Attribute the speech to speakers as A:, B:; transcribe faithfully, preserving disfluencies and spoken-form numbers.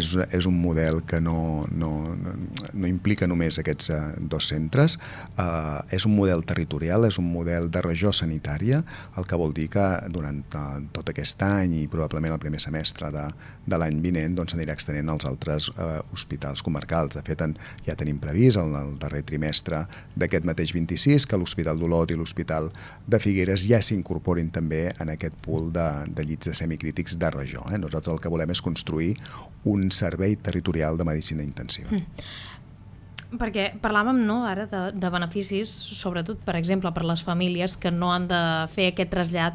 A: És, és un model que no, no, no, no implica només aquests uh, dos centres, uh, és un model territorial, és un model de regió sanitària, el que vol dir que durant uh, tot aquest any i probablement el primer semestre de, de l'any vinent doncs, s'anirà extenent als altres uh, hospitals comarcals. De fet, en, ja tenim previst el, el darrer trimestre d'aquest mateix vint-i-sis que l'Hospital d'Olot i l'Hospital de Figueres ja s'incorporin també en aquest pool de, de llits de semicrítics de regió. Eh? Nosaltres el que volem és construir un servei territorial de medicina intensiva.
B: Mm. Perquè parlàvem no, ara de, de beneficis, sobretot, per exemple, per les famílies que no han de fer aquest trasllat